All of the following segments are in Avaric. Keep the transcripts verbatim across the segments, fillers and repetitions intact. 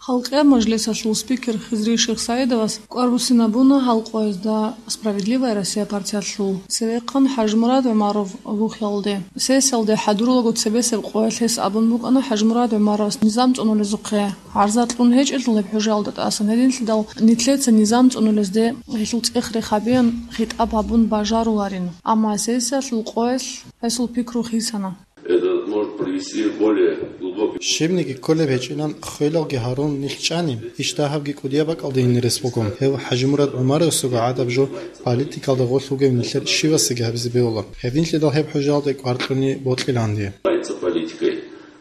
Халкъияб мажлисалъул спикер Хизри Шихсаидовас кӀвар буссинабуна гьал къоязда «Справедливая Россия» партиялъул цевехъан ХӀажимурад ГӀумаров вухиялде. Сессиялде хӀадурулаго цебесеб къоялъ гьес абун букӀана ХӀажимурад ГӀумаровас низам цӀунулезухъе гӀарза кьун гьечӀелъул гьеб хӀужаялда тӀасан, гьединлъидал нилъеца низам цӀунулезде гьелъул цӀех рехабеян хитӀаб гьабун бажаруларин. Амма сессиялъул къоялъ гьесул пикру хисана. Это может привести более глубокий... Щибниги кколеб гьечӀилан хвелалги гьарун нилъ чӀани, иш дагьабги кӀудияб бакӀалде гьинирес буго. Гьев ХӀажимурад ГӀумаровасего гӀадаб жо политикалда гъорлъ вугев нилъер щивасиги гьабизе бегьула. Гьединлъидал гьеб хӀужаялде кӀвар кьуни бокьиланди. Занимается политикой.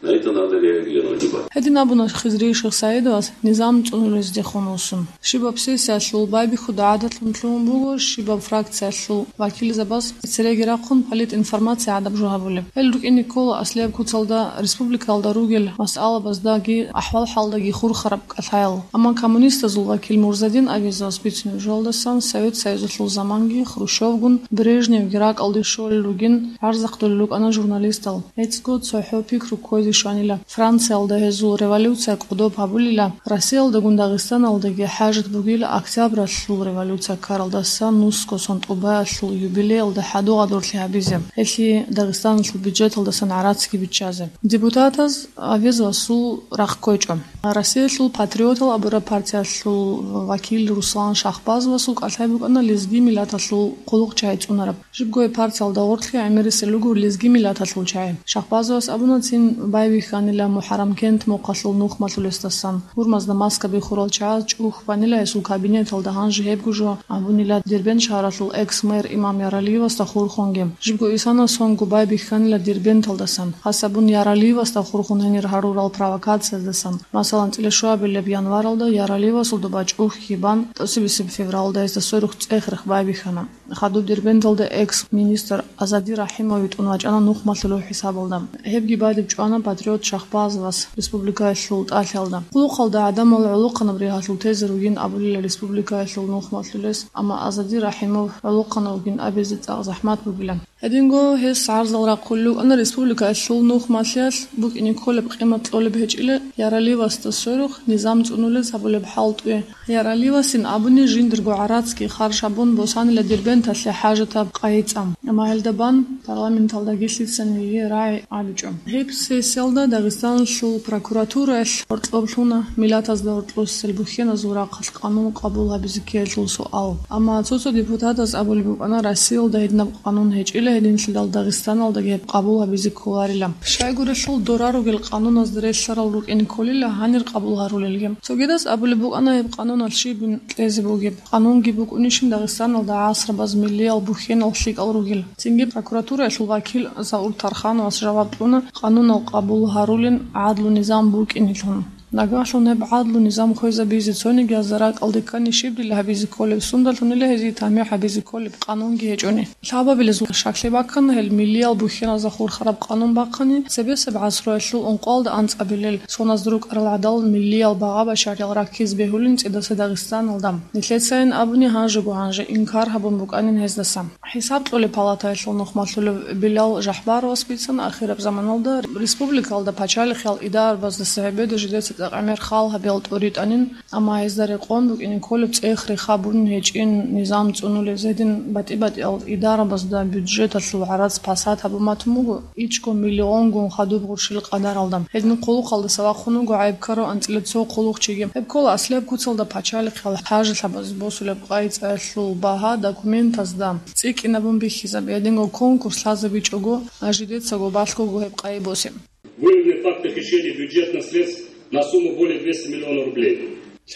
На это надо реагировать. Гьедин абуна Хизри Шихсаидовас низам цӀунулездехун вуссун. Щибаб сессиялъул байбихьуда гӀадатлъун лъугьун буго, щибаб фракциялъул вакилзабаз цереги рахъун политинформация гӀадаб жо гьабулеб. Гьел рукӀине ккола аслияб куцалда республикалда ругел масъалабаздаги ахӀвал-хӀалдаги хурхараб кӀалъаял. Амма коммунистазул вакил Мурзадин Авезовас бицунеб жоялдасан Совет Союзалъул заманги Хрущевгун, Брежневги ракӀалде щолел ругин гӀарзахъулел рукӀана журналистал. ГӀицӀго цохӀо пикру кквезе щванила. Франциялда гьезул революция кӀодоб гьабулила, Россиялдагун Дагъистаналдаги хӀажат бугила Октябралъул революция ккаралдаса нусго сон тӀубаялъул юбилеялда хӀадугӀадурлъи гьабизе, гьелъие Дагъистаналъул бюджеталдасан гӀарацги биччазе. Депутатаз Авезовасул рахъ ккечӀо. Россиялъул патриотал абураб партиялъул вакил Руслан Шахбазовасул кӀалъай букӀана лезги миллаталъул хъулухъчагьи цӀунараб. Жибго гьеб партиялда гъорлъе гӀемерисел руго лезги миллаталъул чагӀи. Шахбазовас абуна цин байбихьанила МухӀаррамкент мухъалъул нухмалъулесдасан. Гьурмазда маска бихурал чагӀаз чӀухь банила гьесул кабинеталда, гьанже гьебго жо абунила Дербент шагьаралъул экс-мэр имам Яралиевасда хурхунги. Жибго исана сонго байбихьанила Дербенталдасан, хас абун Яралиевасда хурхун гьенир гьарурал провокацияздасан, масалан, цӀилещуабилеб январалда Яралиевасул доба чӀухь бан, тӀасибисеб февралда гьесда сверухъ цӀех-рех байбихьана. Хадуб Дербенталда экс-министр Азади Рахимов витӀун вачӀана нухмалъулев хӀисабалда. Гьебги бадиб чӀвана патриот Шахбазовас республикаялъул тӀалъиялда. Хъулухъалда гӀадамал гӀолохъанаб ригьалъул тезе ругин абулила республикаялъул нухмалъулес, амма Азади Рахимов гӀолохъанав вугин абизе цӀакъ захӀмат бугила. Гьединго гьес гӀарзал рахъулел рукӀана республикаялъул нухмалъиялъ букӀине кколеб къимат кьолеб гьечӀила Яралиевасда сверухъ низам цӀунулез гьабулеб хӀалтӀуе. Яралиевасин абуни жиндирго гӀарацги харж гьабун босанила Дербенталъе хӀажатаб къайи цӀа. Амма гьелда бан парламенталдаги лъицаниги гьей рагӀи гьабичӀо. Гьеб сессиялда Дагъистаналъул прокуратураялъ гьоркьоб лъуна миллатазда гьоркьосел бухьеназул рахъалъ къанун къабул гьабизе ккеялъул суал. Амма цо-цо депутатаз абулеб букӀана, Россиялда гьединаб къанун гьечӀила, гьединлъидал Дагъистаналдаги гьеб къабул гьабизе кколарила. Щайгурелъул дора ругел къануназда релълъарал рукӀине кколила гьанир къабул гьарулелги. Цогидаз абулеб букӀана гьеб къануналъ щибин кьезе бугеб. Къанунги букӀунищин Дагъистаналда гӀасрабаз миллиял бухьенал лъикӀал ругел. Цинги прокуратураялъул вакил Заур Тархановас жаваб кьуна къанунал къабул гьарулин гӀадлу-низам букӀинилъун. Нагагьлъун гьеб гӀадлу-низам хвезабизе цонигиязда ракӀалде ккани щиб дила гьабизе кколеб, сундалъунила гьезие тамихӀ гьабизе кколеб къанунги гьечӀони. Лъабабилезул щаклъи баккана гьел миллиял бухьеназда хурхараб къанун бахъани, цебесеб гӀасруялъул ункъоялда анцӀабилел соназда рукӀарал гӀадал миллиял багъа-башариял раккизе бегьулин цӀидаса Дагъистаналда. Нилъецайин абуни гьанжего-гьанже инкар гьабун букӀанин гьездаса. ХӀисаб кьолеб палатаялъул нухмалъулев Билал Жахбаровас бицана ахираб заманалда республикалда пачалихъал идарабаздаса гьебеда жидеца цӀакъ гӀемер хал гьабиялда тӀоритӀанин, амма гьезда рекъон букӀине кколеб цӀех-рех гьабун гьечӀин низам цӀунулез. Гьедин батӀи-батӀиял идарабазда бюджеталъул гӀарац пасат гьабун батун буго ичӀго миллионгун хадуб гъурщил къадаралда. Гьедин хъулухъалдаса вахъун вуго гӀайиб ккарав анцӀила цо хъулухъчиги. Гьеб ккола аслияб куцалда пачалихъал хӀажалъабаз босулеб къайи цӀаялъул багьа документазда цӀикӀкӀинабун бихьизаб. Гьединго конкурс лъазабичӀого, жидецаго балъгого гьеб къайи босе. Выявлены факты хищения бюджетных средств на сумму более двести миллионов рублей.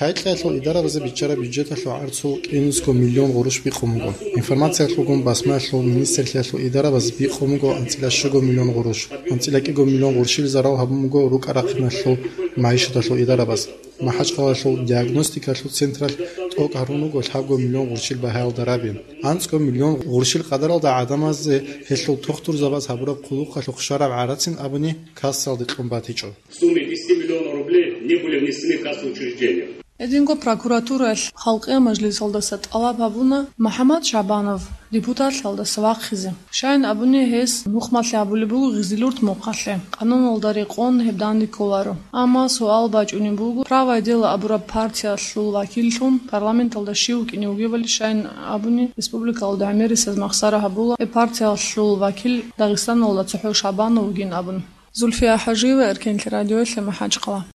Лъай-лъаялъул идарабазе биччараб бюджеталъул гӀарцул кӀинусго миллион гъурущ бикъун буго. Информациялъулгун басмаялъул министрлъиялъул идарабаз бикъун буго анцӀила щуго миллион гъурущ, анцӀила кӀиго миллион гъурщил зарал гьабун буго рукӀа-рахъиналъул магӀишаталъул идарабаз. МахӀачкъалалъул диагностикалъул централъ тӀокӀ гьарун руго лъабго миллион гъурщил багьаялда раби. АнцӀго миллион гъурщил къадаралда гӀадамазде гьелъул тухтурзабаз гьабураб хъулухъалъухъ щвараб гӀарацин абуни кассалде кьун батичӀо. В сумме десяти миллионов рублей не были внесены в кассовые учреждения. Гьединго прокуратураялъ Халкъиял мажлисалдаса тӀалаб гьабуна МухӀаммад Шабанов депутатлъалдаса вахъизе. Щайин абуни, гьес нухмалъи гьабулеб буго Гъизилурт мухъалъе. Къануналда рекъон гьеб данде кколаро. Амма суал бачӀунеб буго, «Правое дело» абураб партиялъул вакиллъун парламенталда щив вукӀине вугевали, щайин абуни, республикалда гӀемерисез махсара гьабула гьеб партиялъул вакил Дагъистаналда цохӀо Шабанов вугин абун. Зульфия ХӀажиева, Эркенлъи радиоялъе, МахӀачхъала.